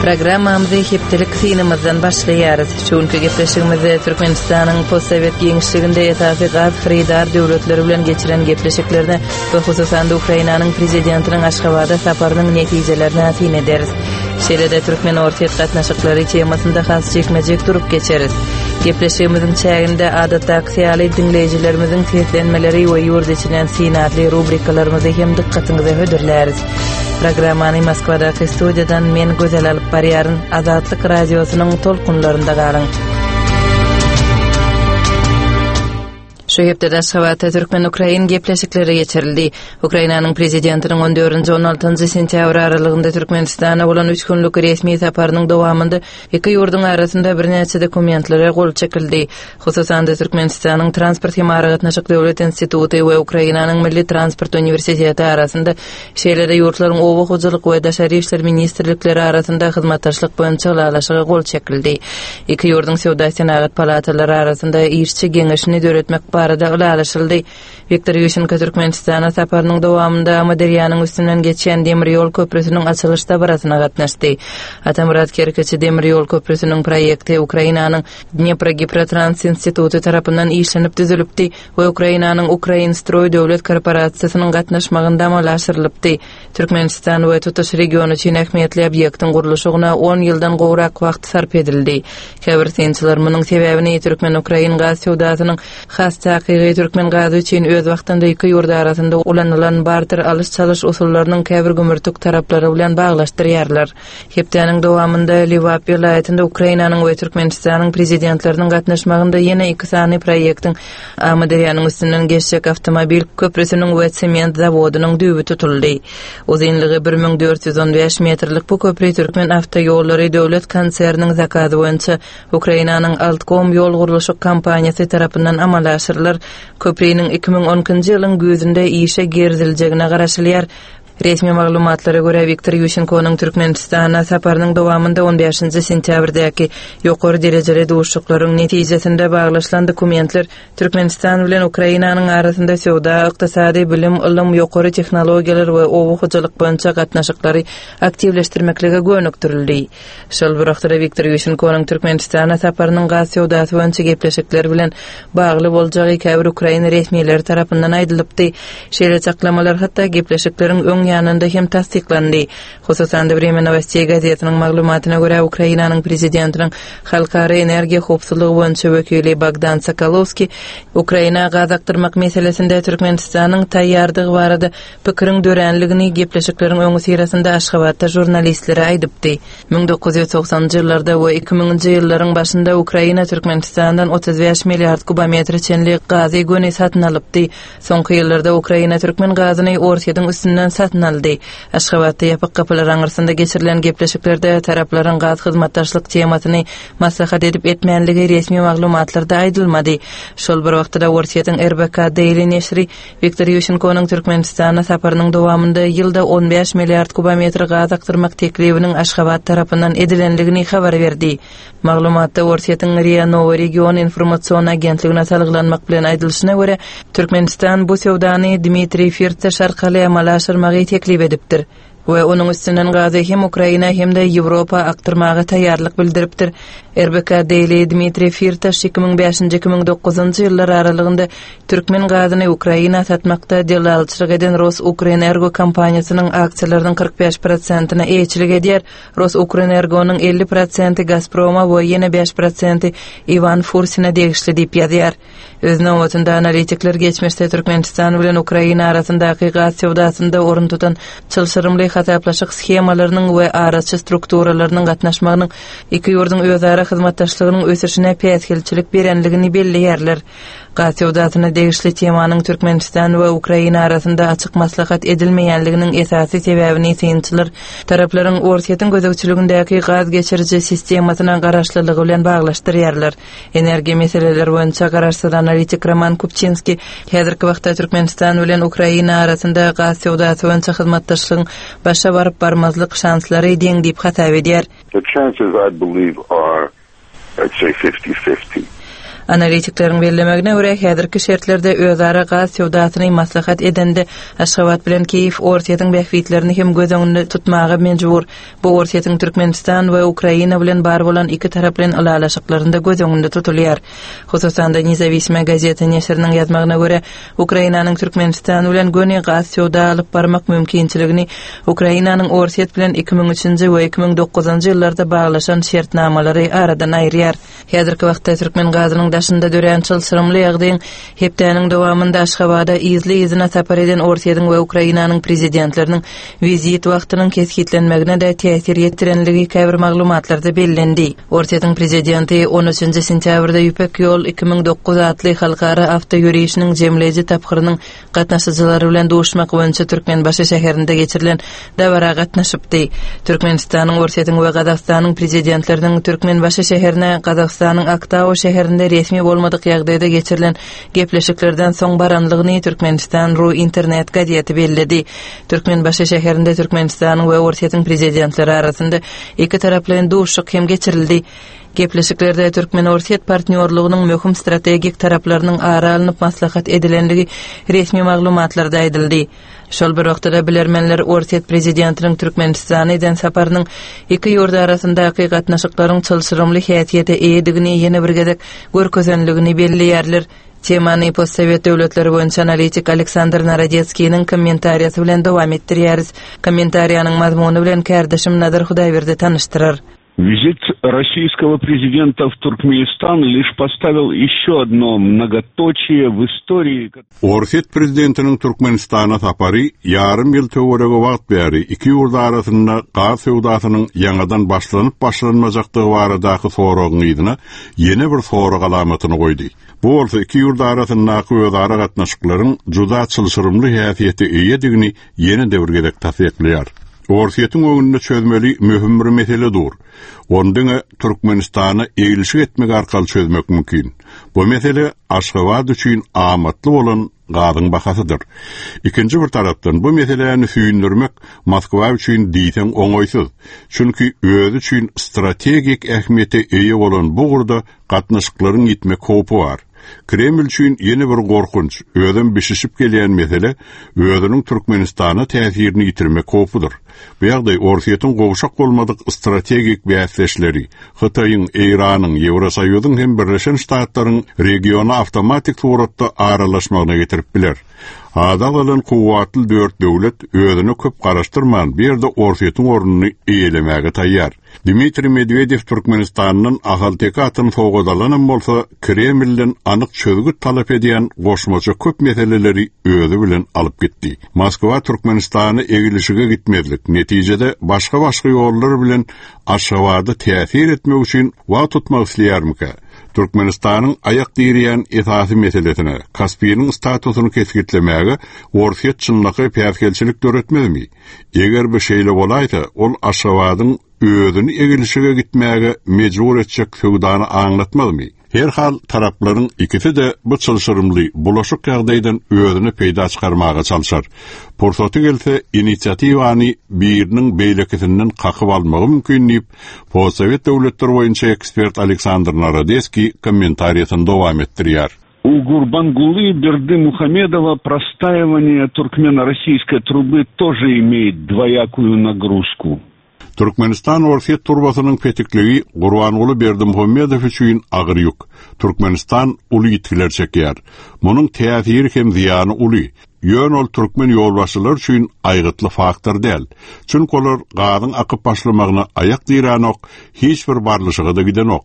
Programmamyzy hepdelik synymyzdan başlaýarys. Şu günki gepleşigimizde Türkmenistanyň postsowet giňişliginde esasy gaz hyrydar döwletleri bilen geçiren gepleşiklerine we hususan-da Ukrainanyň Prezidentiniň Aşgabada saparynyň netijelerine syn ederis. Şeýle-de türkmen-orsýet gatnaşyklary temasynda has jikme-jik durup geçeris. Gepleşigimiziň çäginde adatdakysy ýaly diňleýjilerimiziň seslenmeleri we ýurt içinden syn atly rubrikalarymyzy hem dykgatyňyza hödürläris. Programmany Moskwadaky studiýadan men Gözel alyp barýaryn. Azatlyk Radiosynyň tolkunlarynda galyň. Şu hepdede Aşgabatda türkmen-ukrain gepleşikleri geçirildi. Ukrainanyň prezidentiniň on dördünji, on altynjy sentýabr aralygynda Türkmenistana bolan üç günlük resmi saparynyň dowamynda iki ýurduň arasynda birnäçe dokumentlere gol çekildi. Hususan-da, Türkmenistanyň Transport hem aragatnaşyk döwlet instituty we Ukrainanyň Milli transport uniwersiteti arasynda, şeýle-de ýurtlaryň Oba hojalyk we Daşary işler ministrlikleri arasynda hyzmatdaşlyk boýunça ylalaşyga gol çekildi. Iki ýurduň Söwda-senagat palatalary arasynda işçi geňeşini döretmek barada ylalaşyldy. Wiktor Ýuşenko Türkmenistana saparynyň dowamynda Amyderýanyň üstünden geçýän demir ýol köprüsiniň açylyş dabarasyna gatnaşdy. Atamyrat Kerkiçi demir ýol köprüsiniň proýekti Ukrainanyň Dneprogiprotrans instituty tarapyndan işlenip düzülipdi we Ukrainanyň Ukrainstroý döwlet korporasiýasynyň gatnaşmagynda amala aşyrylypdy. Türkmenistan we tutuş region üçin ähmiýetli obýektiň gurluşygyna on ýyldan gowrak wagt sarp edildi. Käbir synçylar munuň sebäbini türkmen-ukrain gaz söwdasynyň, has takygy türkmen gazy üçin öz wagtynda iki ýurt arasynda ulanylan barter alyş-çalyş usullarynyň käbir gümürtik taraplary bilen baglaşdyrýarlar. Hepdäniň dowamynda Lebap welaýatynda Ukrainanyň we Türkmenistanyň Prezidentleriniň gatnaşmagynda ýene iki sany proýektiň, Amyderýanyň üstünden geçjek awtomobil köprüsiniň we sement zawodynyň düýbi tutuldy. Uzynlygy 1415 metrlik bu köpri Türkmenawtoýollary döwlet konserniniň zakazy boýunça Ukrainanyň Altkom ýol gurluşyk kompaniýasy tarapyndan amala aşyrylar. Köpriniň 2012-nji ýylyň güýzünde işe giriziljegine garaşylýar. Resmi maglumatlara görä, Wiktor Ýuşenkonyň Türkmenistana saparynyň dowamynda on bäşinji sentýabrdäki ýokary derejeli duşuşyklaryň netijesinde baglaşylan dokumentler Türkmenistan bilen Ukrainanyň arasynda söwda, ykdysady, bilim, ylym, ýokary tehnologiýalar we oba hojalyk boýunça gatnaşyklary aktiwleşdirmeklige gönükdirildi. Şol bir wagtda-da Wiktor Ýuşenkonyň Türkmenistana saparynyň gaz söwdasy boýunça gepleşikler bilen bagly boljagy käbir ukrain resmileri tarapyndan aýdylypdy. Şeýle çaklamalar hatda gepleşikleriň öň ýanynda hem tassyklandy. Hususan-da, Wremýa nowosteý gazetiniň maglumatyna görä, Ukrainanyň prezidentiniň halkara energiýa howpsuzlygy boýunça wekili Bogdan Sokolowskiý Ukraina gaz akdyrmak meselesinde Türkmenistanyň taýýardygy barada Pikiriň döränligini gepleşikleriň öňüsyrasynda Aşgabatda žurnalistlere aýdypdy. 1990-njy ýyllarda we 2000-nji ýyllaryň başynda Ukraina Türkmenistandan 35 milliard kubometre çenli gazy göni satyn alypdy. Soňky ýyllarda Ukraina türkmen gazyny Orsýetiň üstünden satyn aldy. Aşgabatda ýapyk gapylar aňyrsynda geçirilen gepleşiklerde taraplaryň gaz hyzmatdaşlyk temasyny maslahat edip-etmänligi resmi maglumatlarda aýdylmady. Şol bir wagtda-da Orsýetiň RBK Daily neşri Wiktor Ýuşenkonyň Türkmenistana saparynyň dowamynda ýylda 15 milliard kubometr gaz akdyrmak teklibiniň Aşgabat tarapyndan edilendigini habar berdi. Maglumatda Orsýetiň RIA Nowo region informasion agentligine salgylanmak bilen aýdylyşyna görä, Türkmenistan bu söwdany Dmitriý Firtaş arkaly amala aşyrmagy teklip edipdir. We onuň üstünden gazy hem Ukraina hem-de Ýewropa akdyrmaga taýýarlyk bildiripdir. RBK Daily Dmitriý Firtaş 2005-nji 2009-njy ýyllar aralygynda türkmen gazyny Ukraina satmakda dellalçylyk eden RosUkrEnergo kompaniýasynyň aksiýalarynyň 45 prosentine eýeçilik edýär. RosUkrEnergonyň 50 prosenti Gazproma we ýene 5 prosenti Iwan Fursine degişli diýip ýazýar. Öz nobatynda analitikler geçmişde Türkmenistan bilen Ukraina arasyndaky gaz söwdasynda orun tutan çylşyrymly hasaplaşyk shemalarynyň we araçy strukturalarynyň gatnaşmagynyň iki ýurduň özara hyzmatdaşlygynyň ösüşine päsgelçilik berenligini belleýärler. Gaz söwdasyna degişli temanyň Türkmenistan we Ukraina arasynda açyk maslahat edilmeýänliginiň esasy sebäbini synçylar taraplaryň Orsýetiň gözegçiligindäki gaz geçiriji sistemasyna garaşlylygy bilen baglaşdyrýarlar. Energiýa meseleleri boýunça garaşsyz analitik Roman Kupçinskiý häzirki wagtda Türkmenistan bilen Ukraina arasynda gaz söwdasy boýunça hyzmatdaşlygyň başa baryp-barmazlyk şanslary deň diýip hasap edýär. The chances I believe are I'd say fifty-fifty. Analitikleriň bellemegine görä, häzirki şertlerde özara gaz söwdasyny maslahat edende, Aşgabat bilen Kiýew Orsýetiň bähbitlerini hem göz öňünde tutmaga mejbur. Bu Orsýetiň Türkmenistan we Ukraina bilen bar bolan ikitaraplaýyn ylalaşyklarynda göz öňünde tutulýar. Hususan-da, Nezawisima gazeta neşiriniň ýazmagyna görä, Ukrainanyň Türkmenistan bilen göni gaz söwda alyp barmak mümkinçiligini Ukrainanyň Orsýet bilen 2003-nji we 2009-njy ýyllarda baglaşan şertnamalary aradan aýyrýar. Häzirki wagtda türkmen gazynyň daşynda dörän çylşyrymly ýagdaýyň hepdäniň dowamynda Aşgabada yzly-yzyna sapar eden Orsýetiň we Ukrainanyň prezidentleriniň wizit wagtynyň kesgitlenmegine-de täsir ýetirenligi käbir maglumatlarda bellendi. Orsýetiň prezidenti on üçünji sentýabrda Ýüpek ýol 2009 atly halkara awtoýörişiniň jemleýji tapgyrynyň gatnaşyjylary bilen duşmak boýunça Türkmenbaşy şäherinde geçirilen dabara gatnaşypdy. Türkmenistanyň, Orsýetiň we Gazagystanyň prezidentleriniň Türkmenbaşy şäherine Gazagystanyň Aktau şäherinde resmi bolmadyk ýagdaýda geçirilen gepleşiklerden soň baranlygyny Türkmenistan. Ru internet gazeti belledi. Türkmenbaşy şäherinde Türkmenistanyň we Orsýetiň prezidentleri arasynda ikitaraplaýyn duşuşyk hem geçirildi. Gepleşiklerde türkmen-orsýet partnýorlygynyň möhüm strategik taraplarynyň ara alnyp maslahat edilenligi resmi maglumatlarda aýdyldy. Şol bir wagtda-da bilermenler Orsýet prezidentiniň Türkmenistana eden saparynyň iki ýurt arasyndaky gatnaşyklaryň çylşyrymly häsiýete eýedigini ýene bir gezek görkezenligini belleýärler. Temany postsowet döwletleri boýunça analitik Aleksandr Narodetskiniň kommentariýasy bilen dowam etdirýäris. Kommentariýanyň mazmuny bilen kärdeşim Nazar Hudaýberdi tanyşdyrar. Визит российского президента в Туркменистан лишь поставил еще одно многоточие в истории. Orsýet prezidentiniň Türkmenistana sapary ýarym ýyl töweregi wagt bäri iki ýurt arasynda gaz söwdasynyň ýaňadan başlanyp-başlanmajakdygy baradaky soragyň yzyna ýene bir sorag alamatyny goýdy. Bu bolsa iki ýurt arasyndaky özara gatnaşyklaryň juda çylşyrymly häsiýete eýedigini ýene-de bir gezek tassyklaýar. Orsýetiň öňünde çözmeli möhüm bir mesele dur. Ony diňe Türkmenistana eglişik etmek arkaly çözmek mümkin. Bu mesele Aşgabat üçin amatly bolan gazyň bahasydyr. Ikinji bir tarapdan bu meseläni süýndürmek Moskwa üçin diýseň oňaýsyz. Çünki özi üçin strategik ähmiýete eýe bolan bu ugurda gatnaşyklaryň ýitmek howpy bar. Kreml üçin ýene bir gorkunç, özem bişişip gelýän mesele özüniň Türkmenistana täsirini ýitirmek howpudyr. Bu ýagdaý Orsýetiň gowşak bolmadyk strategik bäsdeşleri, Hytaýyň, Eýranyň, Ýewrosoýuzyň hem Birleşen Ştatlaryň regiona awtomatik suratda aralaşmagyna getirip biler. Ady agzalan kuwwatly dört döwlet özüne köp garaşdyrman bu ýerde Orsýetiň ornuny eýelemäge taýýar. Dmitriý Medwedew Türkmenistandan ahalteke atyny sowgat alanam bolsa, Kremlden anyk çözgüt talap edýän goşmaça köp meseleleri özi bilen alyp gitdi. Moskwa Türkmenistana eglişige gitmezlik, netijede başga-başga ýollar bilen Aşgabada täsir etmek üçin wagt tutmak isleýärmikä? Türkmenistanyň aýak direýän esasy meselesine, Kaspiniň statusyny kesgitlemäge Orsýet çynlakaý päsgelçilik döretmezmi? Eger bu şeýle bolaýsa, ol Aşgabadyň özüni egilşige gitmäge mejbur etjek söwdany aňlatmazmy? Herhal, taraplaryň ikisi-de bu çylşyrymly, bulaşyk ýagdaýdan özüne peýda çykarmaga çalşar. Pursaty gelse, inisiatiwany biriniň beýlekisinden kakyp almagy mümkin diýip, postsowet döwletleri boýunça ekspert Aleksandr Narodeskiý kommentariýasyny dowam etdirýär. У Гурбангулы Бердымухамедова простаивание туркмено-российской трубы тоже имеет двоякую нагрузку. Türkmenistan-Orsýet turbasynyň petikligi Gurbanguly Berdimuhamedow üçin agyr ýük. Türkmenistan uly ýitgiler çekýär. Munuň täsiri hem zyýany uly. Ýöne ol türkmen ýolbaşçylary üçin aýgytly faktor däl. Çünki olar gazyň akyp başlamagyna aýak diränok, hiç bir barlyşyga-da gidenok.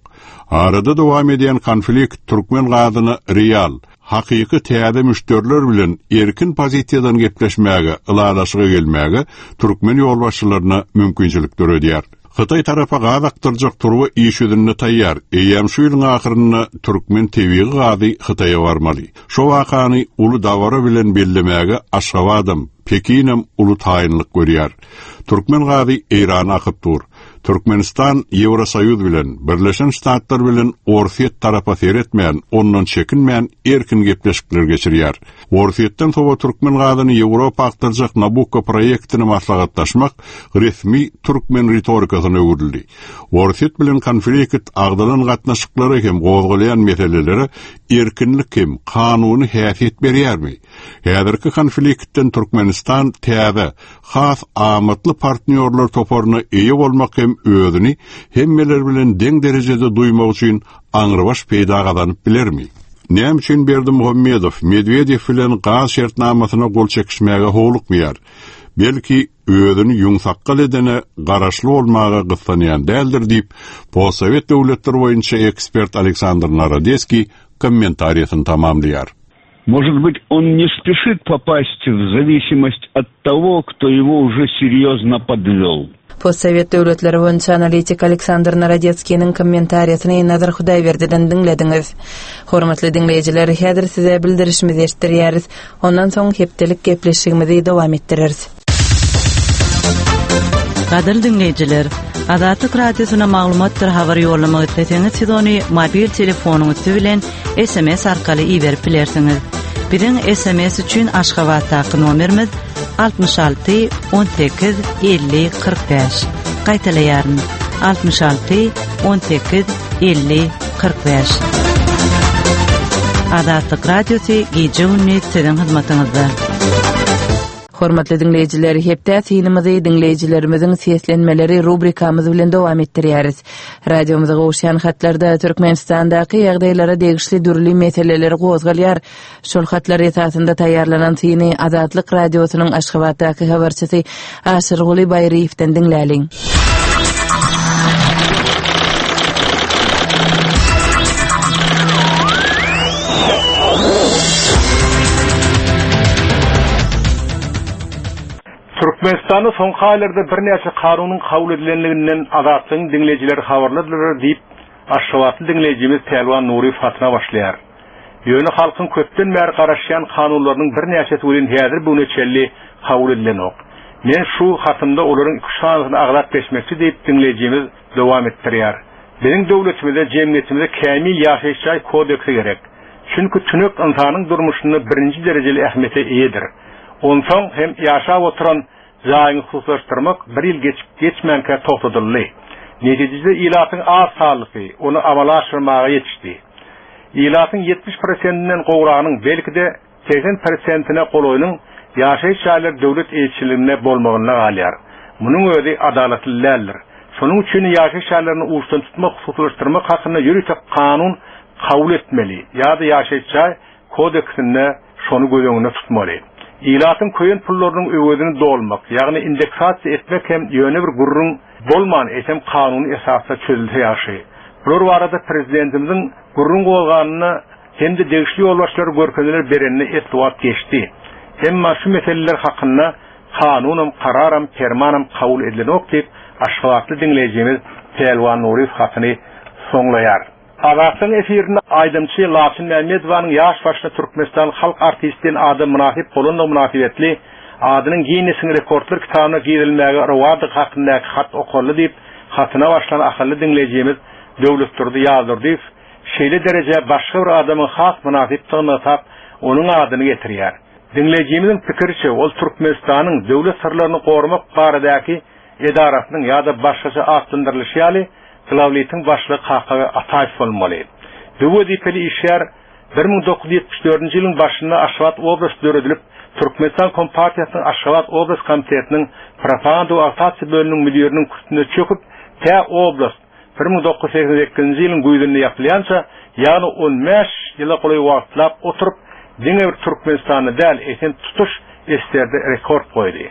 Arada dowam edýän konflikt türkmen gazyna real, hakyky täze müşderiler bilen erkin pozisiýadan gepleşmäge, ylalaşyga gelmäge türkmen ýolbaşçylaryna mümkinçilik döredýär. Hytaý tarapa gaz akdyrjak turba iş ýüzünde taýýar, eýýäm şu ýylyň ahyrynda türkmen tebigy gazy Hytaýa barmaly. Şo wakany uly dabara bilen bellemäge Aşgabadam, Pekinem uly taýynlyk görýär. Türkmen gazy Eýrana akyp dur. Türkmenistan Ýewrosoýuz bilen, Birleşen Ştatlar bilen Orsýet tarapa seretmän, ondan çekinmän erkin gepleşikler geçirýär. Orsýetden sowa türkmen gazyny Ýewropa akdyrjak Nabukko proýektini maslahatlaşmak resmi türkmen ritorikasyna öwrüldi. Orsýet bilen konflikt agzalan gatnaşyklara hem gozgalýan meselelere erkinlik hem kanuny häsiýet berýärmi? Häzirki konfliktden Türkmenistan täze, has amatly partnýorlar toparyna eýe bolmak hem özüni hemmeler bilen deň derejede duýmak üçin aňrybaş peýda gazanyp bilermi? Näme üçin Berdimuhamedow Medwedew bilen gaz şertnamasyna gol çekişmäge howlukmaýar? Belki, özüni ýüňsakgal edene garaşly bolmaga gyssanýan däldir diýip, postsowet döwletleri boýunça ekspert Aleksandr Narodeskiý kommentariýasyny tamamlaýar. Может быть, он не спешит попасть в зависимость от того, кто его уже серьезно подвел. Postsowet döwletleri boýunça analitik Aleksandr Narodetskiniň kommentariýasyny Nazar Hudaýberdiden diňlediňiz. Hormatly diňleýjiler, häzir size bildirişimizi eşitdirýäris. Ondan soň hepdelik gepleşigimizi dowam etdireris. Gadyrly diňleýjiler, Azatlyk Radiosyna maglumatdyr habar ýollamak isleseňiz, siz ony mobil telefonyň üsti bilen SMS arkaly iberip bilersiňiz. Biziň SMS üçin Aşgabatdaky nomerimiz 66 18 50 45. Gaýtalaýaryn. 66 18 50 45. Azatlyk Radiosy gije-gündiz siziň hyzmatyňyzda. Hormatly diňleýjiler, hepdä synymyzy diňleýjilerimiziň seslenmeleri rubrikamyz bilen dowam etdirýäris. Radiomyza gowuşýan hatlarda Türkmenistandaky ýagdaýlara degişli dürli meseleler gozgalýar. Şol hatlar esasynda taýýarlanan syny Azatlyk Radiosynyň Aşgabatdaky habarçysy Aşyrguly Baýryýewden diňläliň. Türkmenistanda soňky aýlarda birnäçe kanunyň kabul edilenliginden Azatlygyň diňleýjileri habarlydylar diýip, aşgabatly diňleýjimiz Pälwan Nuryýew hatyna başlaýar. Ýöne halkyň köpden bäri garaşýan kanunlarynyň birnäçesi welin häzir bu güne çenli kabul edilenok. Men şu hatymda olaryň iküç sanysyny agzap geçmekçi diýip, diňleýjimiz dowam etdirýär. Biziň döwletimize, jemgyýetimize kämil ýaşaýyş jaý kodeksi gerek. Çünki tünek ynsanyň durmuşynda birinji derejeli ähmiýete eýedir. Onsoň hem ýaşap oturan jaýyňy hususlaşdyrmak bir ýyl geçip geçmänkä togtadyldy. Netijede ilatyň az sanlysy ony amala aşyrmaga ýetişdi. Ilatyň 70 prosentinden gowragynyň, belki-de, 80 prosentine golaýynyň ýaşaýyş jaýlary döwlet eýeçiliginde bolmagynda galýar. Munuň özi adalatly däldir. Şonuň üçin ýaşaýyş jaýlaryny uçdan tutmak, hususylaşdyrmak hakynda ýörite kanun kabul etmeli ýa-da ýaşaýyş jaý kodeksinde şony göz öňünde tutmaly. Ilatyň köýen pullarynyň öwezini dolmak, ýagny indeksasiýa etmek hem ýöne bir gürrüň bolman, eýsem kanuny esasda çözülse ýagşy. Bular barada prezidentimiziň gürrüň gozganyna hem-de degişli ýolbaşçylara görkezmeler berenine esli wagt geçdi. Emma şu meseleler hakynda kanunam, kararam, permanam kabul edilenok diýip, aşgabatly diňleýjimiz Pälwan Nuryýew hatyny soňlaýar. Azatlygyň efirinde aýdymçy Laçyn Mämmedowanyň ýaş başynda Türkmenistanyň halk artisti diýen ada mynasyp bolandygy mynasybetli adynyň Ginnesiň rekordlar kitabyna girizilmäge rowadygy hakyndaky hat okaldy diýip, hatyna başlan ahally diňleýjimiz Döwletdurdy Ýazdurdyýew şeýle derejä başga bir adamyň has mynasypdygyny nygtap, onuň adyny getirýär. Diňleýjimiziň pikiriçe, ol Türkmenistanyň Döwlet syrlaryny goramak baradaky edarasynyň ýa-da başgaça atlandyrylyşy ýaly Glawlitiň başlygy Kakabaý Ataýew bolmaly. Bu wezipeli işgär 1974-nji ýylyň başynda Aşgabat oblasty döredilip, Türkmenistan Kompartiýasynyň Aşgabat oblast komitetiniň propaganda we agitasiýa bölüminiň müdiriniň kürsüsinde çöküp, tä oblast 1988-nji ýylyň güýzünde ýapylýança, ýagny on bäş ýyla golaý wagtlap oturyp, diňe bir Türkmenistanda däl, eýsem tutuş SSR-de rekord goýdy.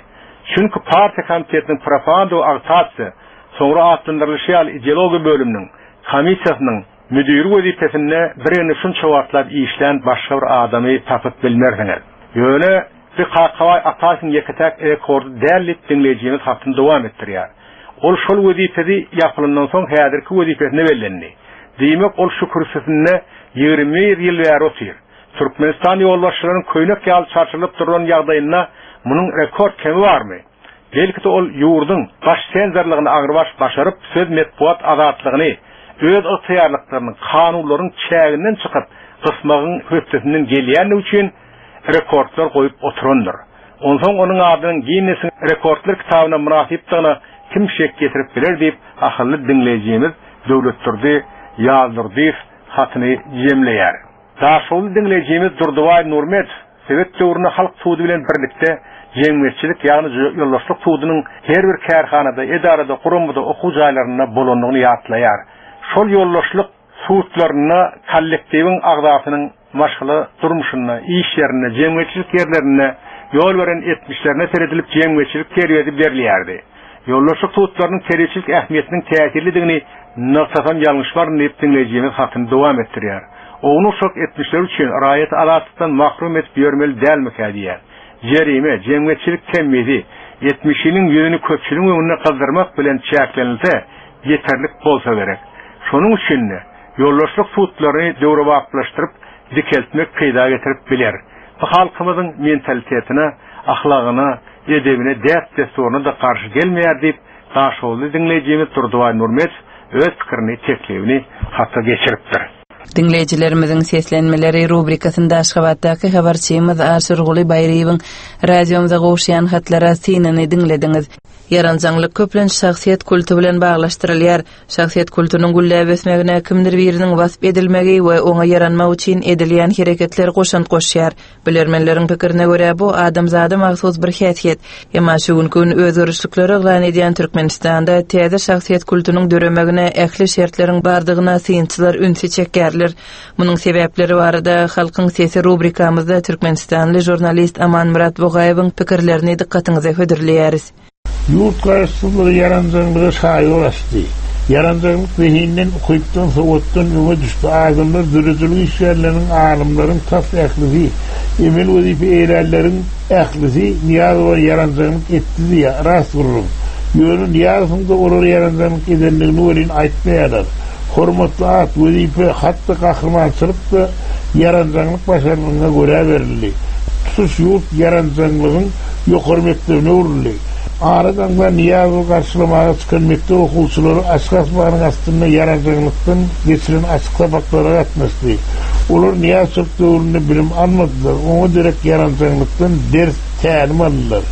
Çünki partiýa komitetiniň propaganda we agitasiýa, soňra atlandyrylyşy ýaly ideologiýa bölüminiň, komissiýasynyň, müdiri wezipesinde biregine şunça wagtlap işlän başga bir adamy tapyp bilmersiňiz. Ýöne bi Kakabaý Ataýewiň ýeke-täk rekordy däl diýip diňleýjimiz hatyny dowam etdirýär. Ol şol wezipesi ýapylandan soň häzirki wezipesine bellendi. Diýmek ol şu kürsüsinde 21 ýyl bäri otyr. Türkmenistan ýolbaşçylarynyň köýnek ýaly çarşylyp duran ýagdaýynda munuň rekord kemi barmy? Belki-de ol ýurduň baş senzorlygyny aňrybaş başaryp, söz-metbugat azatlygyny öz ygtyýarlyklarynyň, kanunlaryň çäginden çykyp gysmagyň hötdesinden gelýändigi üçin. rekordlar goýup oturandyr. Onsoň onuň adynyň Ginnesiň rekordlar kitabyna mynasypdygyna kim şek ýetirip biler diýip, ahally diňleýjimiz Döwletdurdy Ýazdurdyýew hatyny jemleýär. Daşoguzly diňleýjimiz Durdybaý Nurmedow sowet döwründe halk sudy bilen birlikde jemgyýetçilik, ýagny ýoldaşlyk sudunyň her bir kärhanada, edarada, guramada, okuw jaýlarynda bolandygyny ýatlaýar. Şol ýoldaşlyk sudlarynda kollektiwiň agzasynyň maşgala durmuşynda, iş ýerinde, jemgyýetçilik ýerlerinde ýol beren etmişlerine seredilip jemgyýetçilik terbiýesi berilýärdi. Ýoldaşlyk sudlarynyň terbiýeçilik ähmiýetiniň täsirlidigini nygtasam ýalňyşmaryn diýip diňleýjimiz hatyny dowam etdirýär. Ownuk-uşak etmişler üçin raýaty azatlykdan mahrum edip ýörmeli dälmikä diýýär. Jerime, jemgyýetçilik temmisi, etmişiniň ýüzüni köpçüligiň öňünde gyzdyrmak bilen çäklenilse ýeterlik bolsa gerek. Şonuň üçin-de, ýoldaşlyk sudlaryny döwrebaplaşdyryp dikeltmek peýda getirip biler. Bu halkymyzyň mentalitetine, ahlagyna, edebine, däp-dessuryna-da garşy gelmeýär diýip, daşoguzly diňleýjimiz Durdybaý Nurmedow öz pikirini, teklibini hata geçiripdir. Diňleýjilerimiziň seslenmeleri rubrikasynda Aşgabatdaky habarçymyz Aşyrguly Baýryýewiň radiomyza gowuşýan hatlara synyny diňlediňiz. Ýaranjaňlyk köplenç şahsyýet kulty bilen baglaşdyrylýar. Şahsyýet kultunyň gülläp ösmegine kimdir biriniň wasp edilmegi we oňa ýaranmak üçin edilýän hereketler goşant goşýar. Bilermenleriň pikirine görä, bu adamzada mahsus bir häsiýet. Emma şu günki gün özgerişlikleri yglan edýän Türkmenistanda täze şahsyýet kultunyň döremegine ähli şertleriň bardygyna synçylar ünsi çekýärler. Munuň sebäpleri barada Halkyň sesi rubrikamyzda türkmenistanly žurnalist Amanmyrat Bugaýewiň pikirlerini dykgatyňyza hödürleýäris. Ýurt garaşsyzlygy ýaranjaňlyga şaýol açdy. Ýaranjaňlyk zehinden, ukypdan, sowatdan öňe düşdi. Adamlar döredijilik işgärleriniň, alymlaryň tas ählisi, emel wezipe eýlänleriň ählisi Nyýazowa ýaranjaňlyk etdi diýýär. Rast gürrüň. Ýöne Nyýazowyň-da olara ýaranjaňlyk edendigini welin aýtmaýarlar. Hormatly at, wezipe, hat-da gahrymançylyk-da ýaranjaňlyk başarnygyňa görä berildi. Tutuş ýurt ýaranjaňlygyň ýokary mekdebine öwrüldi. Ara daňdan Nyýazowy garşylamaga çykan mekdep okuwçylary açyk asmanyň astynda ýaranjaňlykdan geçiren açyk sapaklara gatnaşdy. Olar Nyýazçylyk döwründe bilim almadylar, oňa derek ýaranjaňlykdan ders, tälim aldylar.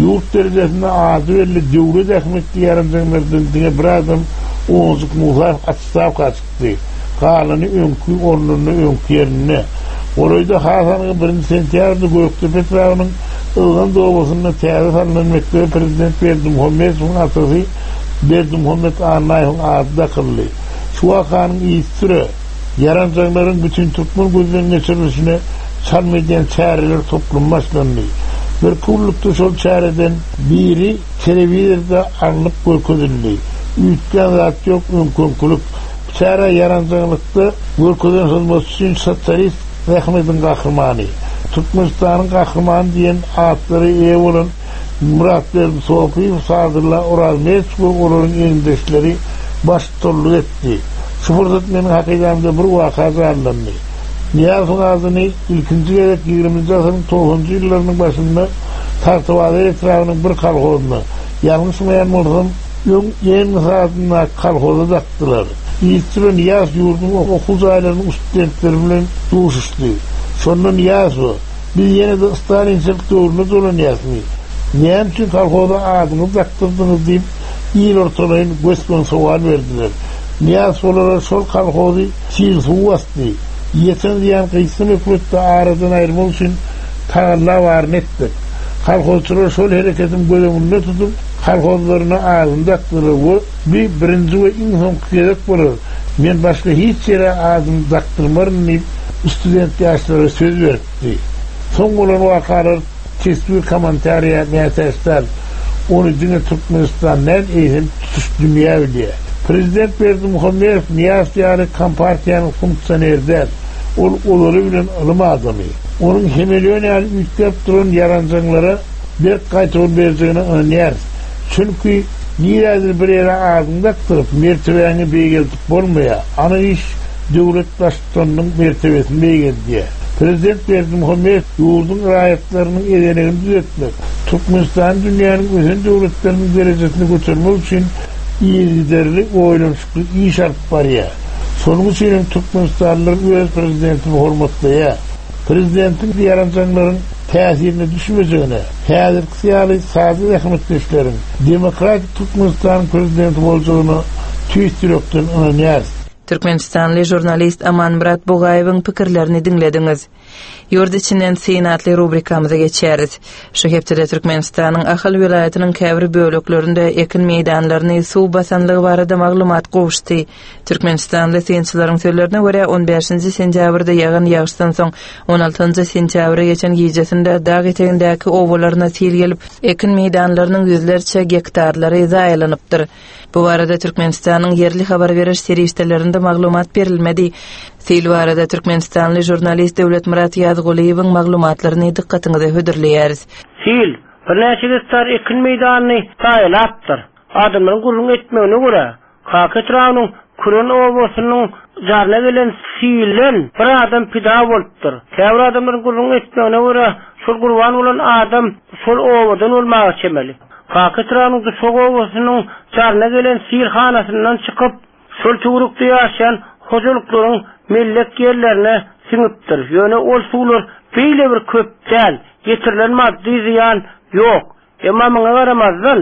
Ýurt derejesinde ady belli döwlet ähmiýetli ýaranjaňlardan diňe bir adam Owunjyk Musaýew otstawka çykdy. Galany öňki ornunda, öňki ýerinde. Golaýda has anygy birinji sentýabrda Gökdepe etrabynyň Yzgant obasynda täze salnan mekdebe prezident Berdimuhamedowyň atasy Berdimuhamet Annaýewiň ady dakyldy. Şu wakanyň yzysüre, ýaranjaňlaryň bütintürkmen gözden geçirilişine çalym edýän çäreler toplumy başlandy. Birki günlükde şol çäreden biri telewizorda alnyp görkezildi. Üýtgän zat ýok, öňki-öňkülik. Bu çärä ýaranjaňlykda görkezen hyzmaty üçin Sosialist Zähmediň Gahrymany, Türkmenistanyň Gahrymany diýen atlara eýe bolan Myratberdi Sopyýew, Sadylla Orazmedow we olaryň egindeşleri baştutanlyk etdi. Şu pursat meniň hakydamda bir waka janlandy. Nyýazowyň adyny ilkinji gezek ýigriminji asyryň togsanjy ýyllarynyň başynda Tagtabazar etrabynyň bir kolhozyna, ýalňyşmaýan bolsam, öň Engels adyndaky kolhoza dakdylar. Yzçy Nyýazow ýurduň okuw jaýlarynyň studentleri bilen duşuşdy. Şonda Nyýazowa, Biz ýene-de stalinçilik döwrüne dolanýasmy? Näme üçin kolhoza adyňyzy dakdyrdyňyz diýip, il ortalaýyn gös-göni sowal berdiler. Nyýazow olara şol kolhozy sil suw basdy. Ýeten zyýan gysga möhletde aradan aýyrmak üçin tagalla baryny etdik. Kolhozçylar şol hereketimi göz öňünde tutup, kolhozlaryna adyny dakdylar we bi birinji we iň soňky gezek bolar, men başga hiç ýere adymy dakdyrmaryn diýip, student ýaşlara söz beripdi. Soň bolan wakalar teswir kommentariýa mätäç däl. Ony diňe Türkmenistan däl, eýsem tutuş dünýä bilýär. Prezident Berdimuhamedow Nyýazow ýaly kompartiýanyň funksioneri däl. Ol ozaly bilen ylym adamy. Onuň hemeleon ýaly üýtgäp duran ýaranjaňlara berk gaýtawul berjegine ynanýarys. Çünki nirädir bir ýere adyňy dakdyryp, mertebäňi beýgeldip bolmaýar. Anyk iş döwlet baştutanynyň mertebesini beýgeldýär. Prezident Berdimuhamedow ýurduň raýatlarynyň ezenegini düzetmek, Türkmenistany dünýäniň ösen döwletleriniň derejesine götermek üçin yzygiderli oýlanyşykly iş alyp barýar. Şonuň üçin hem türkmenistanlylar öz prezidentini hormatlaýar. Prezidentiň ýaranjaňlaryň täsirine düşmejegine, häzirkisi ýaly sada zähmetkeşleriň, demokratik Türkmenistanyň prezidenti boljagyna tüýs ýürekden ynanýarys. Türkmenistanly žurnalist Amanmyrat Bugaýewiň pikirlerini diňlediňiz. Ýurt içinden syn atly rubrikamyza geçýäris. Şu hepdede Türkmenistanyň Ahal welaýatynyň käbir böleklerinde ekin meýdanlaryny suw basanlygy barada maglumat gowuşdy. Türkmenistanly synçylaryň sözlerine görä, on bäşinji sentýabrda ýagan ýagyşdan soň, on altynjy sentýabra geçen gijesinde dag etegindäki obalaryna sil gelip, ekin meýdanlarynyň ýüzlerçe gektarlary zaýalanypdyr. Bu barada Türkmenistanyň ýerli habar beriş serişdelerinde maglumat berilmedi. Sil barada türkmenistanly žurnalist Döwletmyrat Ýazgulyýewiň maglumatlaryny dykgatyňyza hödürleýäris. Sil birnäçe gektar ekin meýdanyny zaýalapdyr. Adamlaryň gürrüň etmegine görä, Kaka etrabynyň Küren obasynyň jaryna gelen silden bir adam pida bolupdyr. Käbir adamlaryň gürrüň etmegine görä, şol gurban bolan adam şol obadan bolmaga çemeli. Kaka etrabynyň Duşak obasynyň jaryna gelen sil hanasyndan çykyp, şol töwerekde ýaşaýan hojalyklaryň mellek ýerlerine siňipdir. Ýöne ol suwlar beýle bir köp däl, ýetirilen maddy zyýan ýok. Emma muňa garamazdan,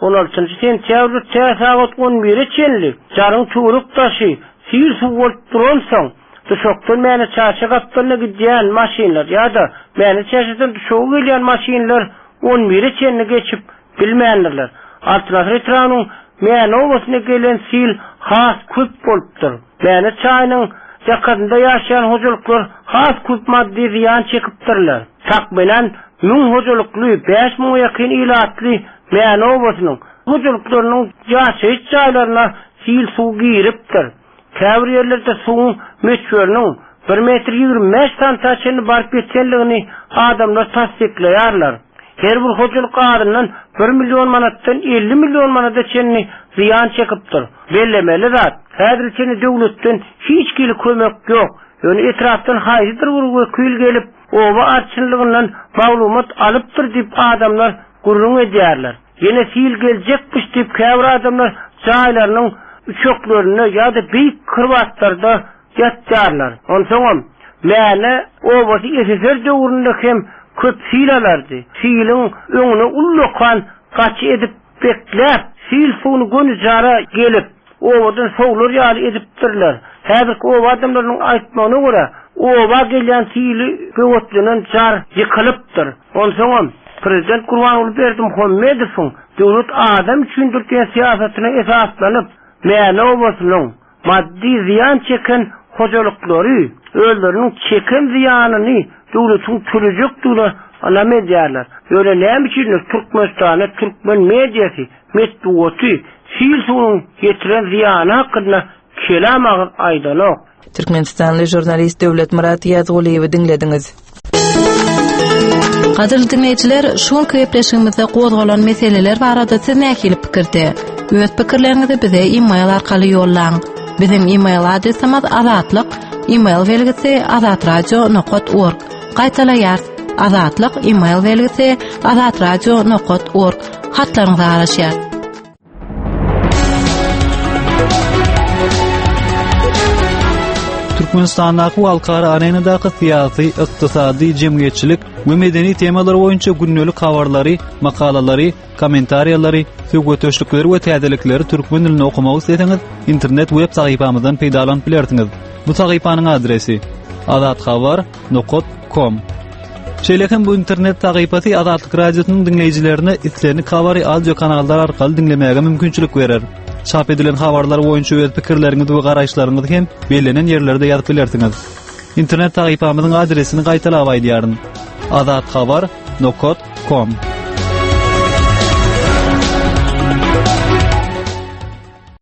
on altynjy sentýabrda tä sagat on bire çenli jaryň töwerek-daşy sil suw bolup duransoň, Duşakdan Mäne Çaşa gapdalyna gidýän maşynlar ýa-da Mäne Çaşadan Duşaga gelýän maşynlar on bire çenli geçip bilmändirler. Altyn asyr etrabynyň Mäne obasyna gelen sil has köp bolupdyr. Mäne çaýynyň ýakasynda ýaşaýan hojalyklar has köp maddy zyýan çekipdirler. Takmynan müň hojalykly, bäş müňe ýakyn ilatly Mäne obasynyň hojalyklarynyň ýaşaýyş jaýlaryna sil suw giripdir. Käbir ýerlerde suwuň möçberiniň bir metr 25 santa çenli baryp ýetenligini adamlar tassyklaýarlar. Her bir hojalyk azyndan bir million manatdan 50 million manada çenli zyýan çekipdir. Bellemeli zat, häzire çenli döwletden hiç hili kömek ýok. Ýöne etrapdan haýsydyr bir wekil gelip, oba arçynlygyndan maglumat alypdyr diýip adamlar gürrüň edýärler. Ýene sil geljekmiş diýip käbir adamlar jaýlarynyň üçeklerinde ýa-da beýik krowatlarda ýatýarlar. Onsoňam, Mäne obasy SSR döwründe hem köp sil alardy. Siliň öňüne ullakan gaçy edip bekläp, sil suwuny göni jara gelip, obadan sowlar ýaly edipdirler. Häzirki oba adamlarynyň aýtmagyna görä, oba gelýän sili böwetlenen jar ýykylypdyr. Onsoňam, prezident Gurbanguly Berdimuhamedowyň Döwlet adam üçindir diýen syýasatyna esaslanyp, Mäne obasynyň maddy zyýan çeken hojalyklary özleriniň çeken zyýanyny döwletiň tölejekdigine ynam edýärler. Ýöne näme üçindir Türkmenistanda türkmen mediasy, metbugaty sil suwunyň ýetiren zyýany hakynda kelam agyz aýdanok. Türkmenistanly žurnalist Döwletmyrat Ýazgulyýewi diňlediňiz. Gadyrly diňleýjiler, şu günki gepleşigimizde gozgalan meseleler barada siz nähili pikirde? Öz pikirleriňizi bize e-mail arkaly ýollaň. Biziň e-mail adresimiz azatlyk e-mail belgisi azatradio.org. Gaýtalaýarys. Azatlyk e-mail belgisi azatradio.org. Hatlaryňyza garaşýarys. Türkmenistandaky we halkara arenadaky syýasy, ykdysady, jemgyýetçilik we medeni temalar boýunça gündelik habarlary, makalalary, kommentariýalary, söhbetdeşlikleri we täzelikleri türkmen dilinde okamak isleseňiz, internet web sahypamyzdan peýdalanyp bilersiňiz. Bu sahypanyň adresi: azathabar nokat kom. Şeýle hem bu internet sahypasy Azatlyk Radiosynyň diňleýjilerine islendik habary audio kanallar arkaly diňlemäge mümkinçilik berer. Çap edilen habarlar boýunça öz pikirleriňizi we garaýyşlaryňyzy hem bellenen ýerlerde ýazyp bilersiňiz. Internet sahypamyzyň adresini gaýtalap aýdýaryn. Azathabar nokat kom.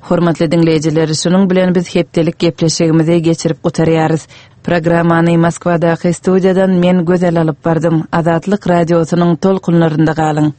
Hormatly diňleýjiler, şunuň bilen biz hepdelik gepleşigimizi geçirip gutarýarys. Programmany Moskwadaky studiýadan men Gözel alyp bardym. Azatlyk Radiosynyň tolkunlarynda galyň.